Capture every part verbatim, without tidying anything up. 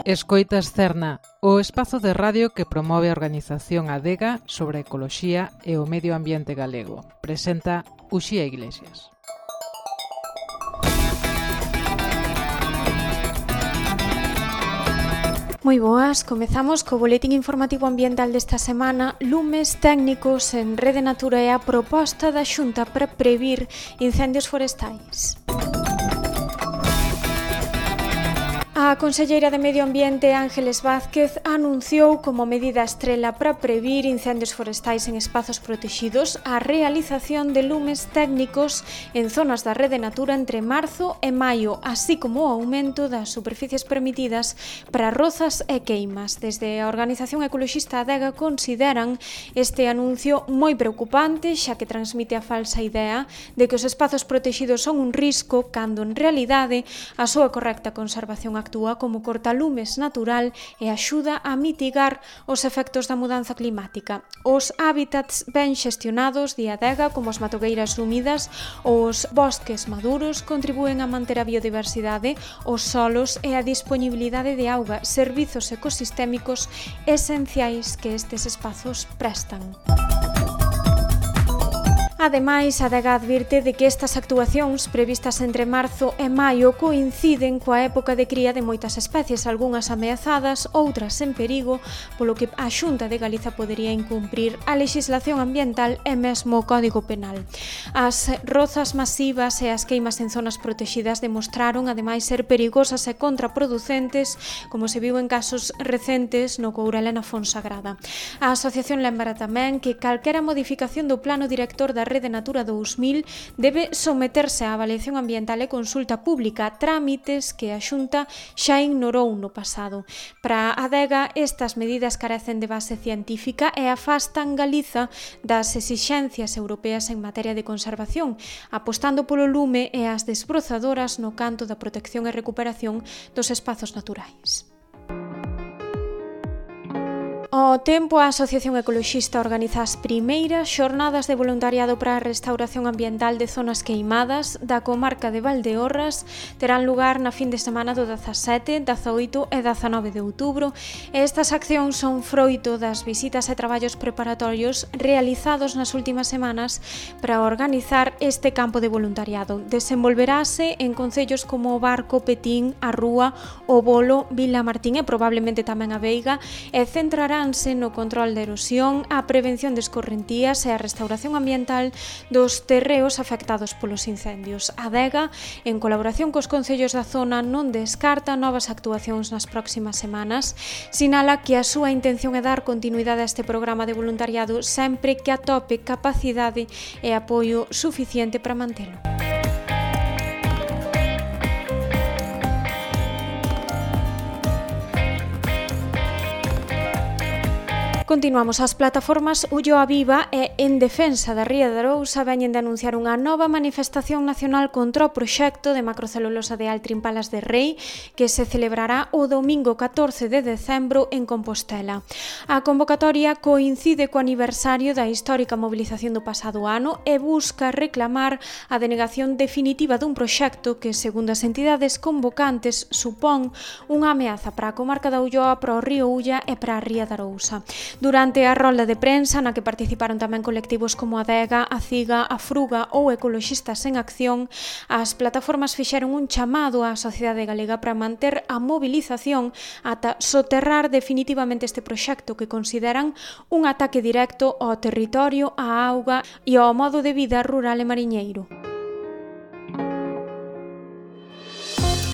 Escoitas Cerna, o espazo de radio que promove a organización Adega sobre a ecoloxía e o medio ambiente galego. Presenta Uxía Iglesias. Moi boas, comezamos co boletín informativo ambiental desta semana. Lumes técnicos en Rede Natura e a proposta da Xunta para previr incendios forestais. A conselleira de Medio Ambiente, Ángeles Vázquez, anunciou como medida estrela para previr incendios forestais en espazos protexidos a realización de lumes técnicos en zonas da Rede Natura entre marzo e maio, así como o aumento das superficies permitidas para rozas e queimas. Desde a organización ecoloxista Adega consideran este anuncio moi preocupante, xa que transmite a falsa idea de que os espazos protexidos son un risco, cando en realidade a súa correcta conservación actúa como cortalumes natural e axuda a mitigar os efectos da mudanza climática. Os hábitats ben xestionados de Adega, como as matogueiras húmidas ou os bosques maduros, contribúen a manter a biodiversidade, os solos e a disponibilidade de auga, servizos ecosistémicos esenciais que estes espazos prestan. Ademais, a Adega advirte de que estas actuacións previstas entre marzo e maio coinciden coa época de cría de moitas especies, algunhas ameazadas, outras en perigo, polo que a Xunta de Galiza podería incumprir a lexislación ambiental e mesmo o Código Penal. As rozas masivas e as queimas en zonas protexidas demostraron, ademais, ser perigosas e contraproducentes, como se viu en casos recentes no Courel e na Fonsagrada. A asociación lembra tamén que calquera modificación do plano director da Rede Natura dous mil debe someterse á avaliación ambiental e consulta pública, trámites que a Xunta xa ignorou no pasado. Para a Adega, estas medidas carecen de base científica e afastan Galiza das exixencias europeas en materia de conservación, apostando polo lume e as desbrozadoras no canto da protección e recuperación dos espazos naturais. Ao tempo, a Asociación Ecoloxista organiza as primeiras xornadas de voluntariado para a restauración ambiental de zonas queimadas da comarca de Valdeorras. Terán lugar na fin de semana do dezasete, dezaoito e dezanove de outubro. Estas accións son froito das visitas e traballos preparatorios realizados nas últimas semanas para organizar este campo de voluntariado. Desenvolverase en concellos como o Barco, Petín, a Rúa, o Bolo, Vila Martín e probablemente tamén a Veiga, e centrará no control da erosión, a prevención de escorrentías e a restauración ambiental dos terreos afectados polos incendios. A Adega, en colaboración cos concellos da zona, non descarta novas actuacións nas próximas semanas. Sinala que a súa intención é dar continuidade a este programa de voluntariado sempre que atope capacidade e apoio suficiente para mantelo. Continuamos. As plataformas Ulloa Viva e En Defensa da Ría de Arousa veñen de anunciar unha nova manifestación nacional contra o proxecto de macrocelulosa de Altrin Palas de Rei que se celebrará o domingo catorce de decembro en Compostela. A convocatoria coincide co aniversario da histórica mobilización do pasado ano e busca reclamar a denegación definitiva dun proxecto que, segundo as entidades convocantes, supón unha ameaza para a comarca da Ulloa, para o río Ulla e para a Ría de Arousa. Durante a rolda de prensa, na que participaron tamén colectivos como a Adega, a Ciga, a Fruga ou Ecoloxistas en Acción, as plataformas fixeron un chamado á sociedade galega para manter a mobilización ata soterrar definitivamente este proxecto que consideran un ataque directo ao territorio, á auga e ao modo de vida rural e mariñeiro.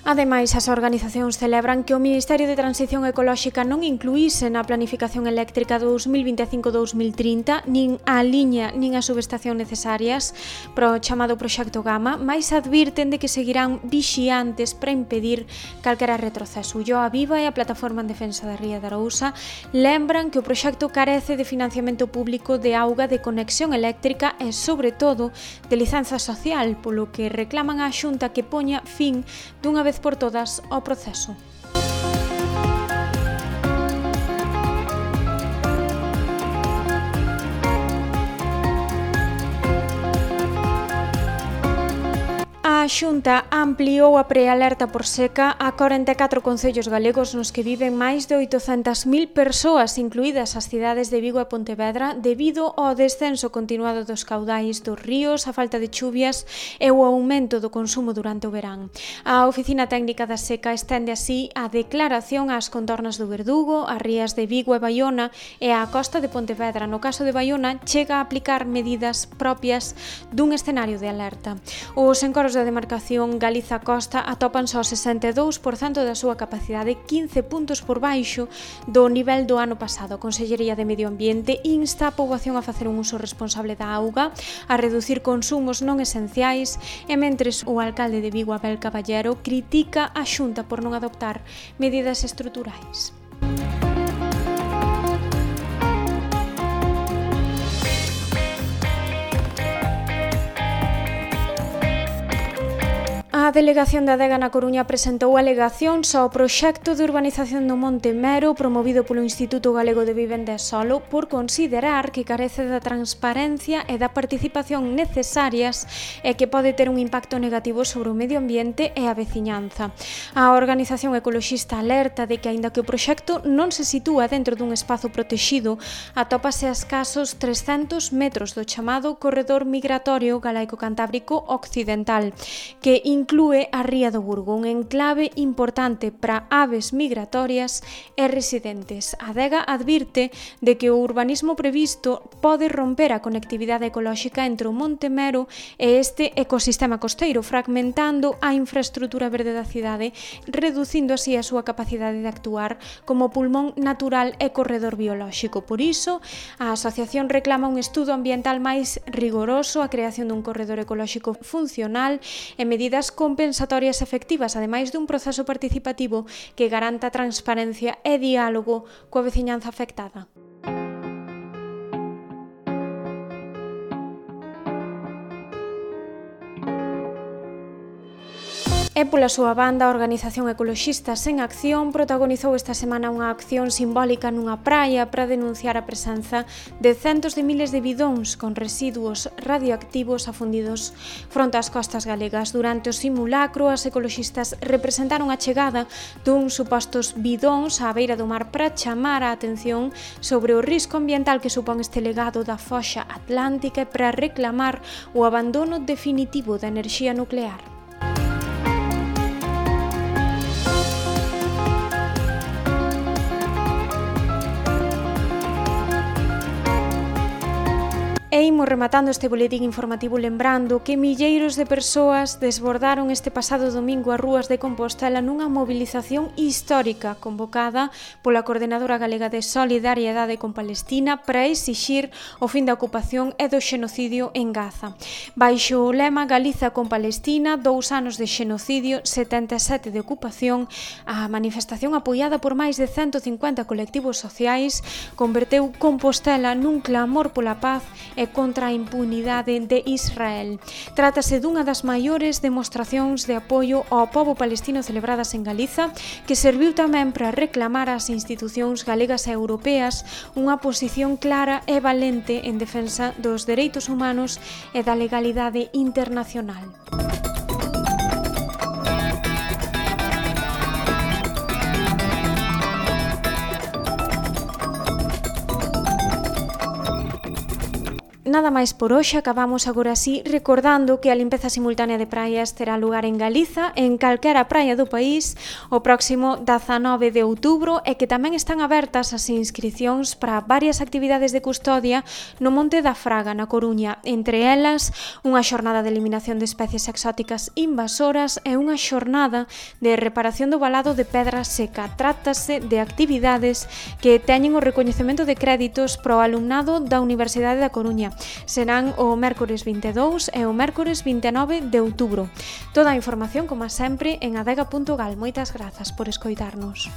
Ademais, as organizacións celebran que o Ministerio de Transición Ecolóxica non incluíse na planificación eléctrica dous mil vinte e cinco a dous mil trinta nin a liña nin a subestación necesarias para o chamado Proxecto Gama, mais advirten de que seguirán vixiantes para impedir calquera retroceso. Ulloa Viva e a Plataforma en Defensa da Ría de Arousa lembran que o proxecto carece de financiamento público de auga, de conexión eléctrica e, sobre todo, de licenza social, polo que reclaman á Xunta que poña fin dunha vez por todas ao proceso. A Xunta ampliou a prealerta por seca a corenta e catro concellos galegos nos que viven máis de oitocentas mil persoas, incluídas as cidades de Vigo e Pontevedra, debido ao descenso continuado dos caudais dos ríos, a falta de chuvias e o aumento do consumo durante o verán. A Oficina Técnica da Seca estende así a declaración ás contornas do Verdugo, as rías de Vigo e Baiona e á costa de Pontevedra. No caso de Baiona, chega a aplicar medidas propias dun escenario de alerta. Os encoros da demarcación Galiza-Costa atopan só sesenta e dous por cento da súa capacidade, quince puntos por baixo do nivel do ano pasado. A Consellería de Medio Ambiente insta a poboación a facer un uso responsable da auga, a reducir consumos non esenciais e mentres o alcalde de Vigo, Abel Caballero, critica a Xunta por non adoptar medidas estruturais. A Delegación da Adega na Coruña presentou alegacións ao proxecto de urbanización do Monte Mero promovido polo Instituto Galego de Vivenda e Solo por considerar que carece da transparencia e da participación necesarias e que pode ter un impacto negativo sobre o medio ambiente e a veciñanza. A organización ecoloxista alerta de que, aínda que o proxecto non se sitúa dentro dun espazo protexido, atópase a escasos trescentos metros do chamado Corredor Migratorio Galaico-Cantábrico Occidental, que inclúe Inclúe a Ría do Burgo, un enclave importante para aves migratorias e residentes. A Adega advirte de que o urbanismo previsto pode romper a conectividade ecolóxica entre o Monte Mero e este ecosistema costeiro, fragmentando a infraestrutura verde da cidade, reducindo así a súa capacidade de actuar como pulmón natural e corredor biolóxico. Por iso, a asociación reclama un estudo ambiental máis rigoroso, a creación dun corredor ecolóxico funcional e medidas compensatorias efectivas, ademais dun proceso participativo que garanta transparencia e diálogo coa veciñanza afectada. E pola súa banda, a organización Ecoloxistas en Acción protagonizou esta semana unha acción simbólica nunha praia para denunciar a presenza de centos de miles de bidóns con residuos radioactivos afundidos fronte ás costas galegas. Durante o simulacro, as ecoloxistas representaron a chegada dun supostos bidóns á beira do mar para chamar a atención sobre o risco ambiental que supón este legado da foxa atlántica e para reclamar o abandono definitivo da enerxía nuclear. E imos rematando este boletín informativo lembrando que milleiros de persoas desbordaron este pasado domingo as rúas de Compostela nunha movilización histórica convocada pola Coordenadora Galega de Solidariedade con Palestina para exixir o fin da ocupación e do xenocidio en Gaza. Baixo o lema Galiza con Palestina, dous anos de xenocidio, setenta e sete de ocupación, a manifestación apoiada por máis de cento cincuenta colectivos sociais converteu Compostela nun clamor pola paz e contra a impunidade de Israel. Trátase dunha das maiores demostracións de apoio ao pobo palestino celebradas en Galiza, que serviu tamén para reclamar ás institucións galegas e europeas unha posición clara e valente en defensa dos dereitos humanos e da legalidade internacional. Nada máis por hoxe, acabamos agora así recordando que a limpeza simultánea de praias terá lugar en Galiza, en calquera praia do país, o próximo dezanove de outubro e que tamén están abertas as inscricións para varias actividades de custodia no Monte da Fraga, na Coruña, entre elas unha xornada de eliminación de especies exóticas invasoras e unha xornada de reparación do valado de Pedra Seca. Trátase de actividades que teñen o recoñecemento de créditos para o alumnado da Universidade da Coruña. Serán o mércores vinte e dous e o mércores vinte e nove de outubro. Toda a información, como sempre, en adega punto gal. Moitas grazas por escoitarnos.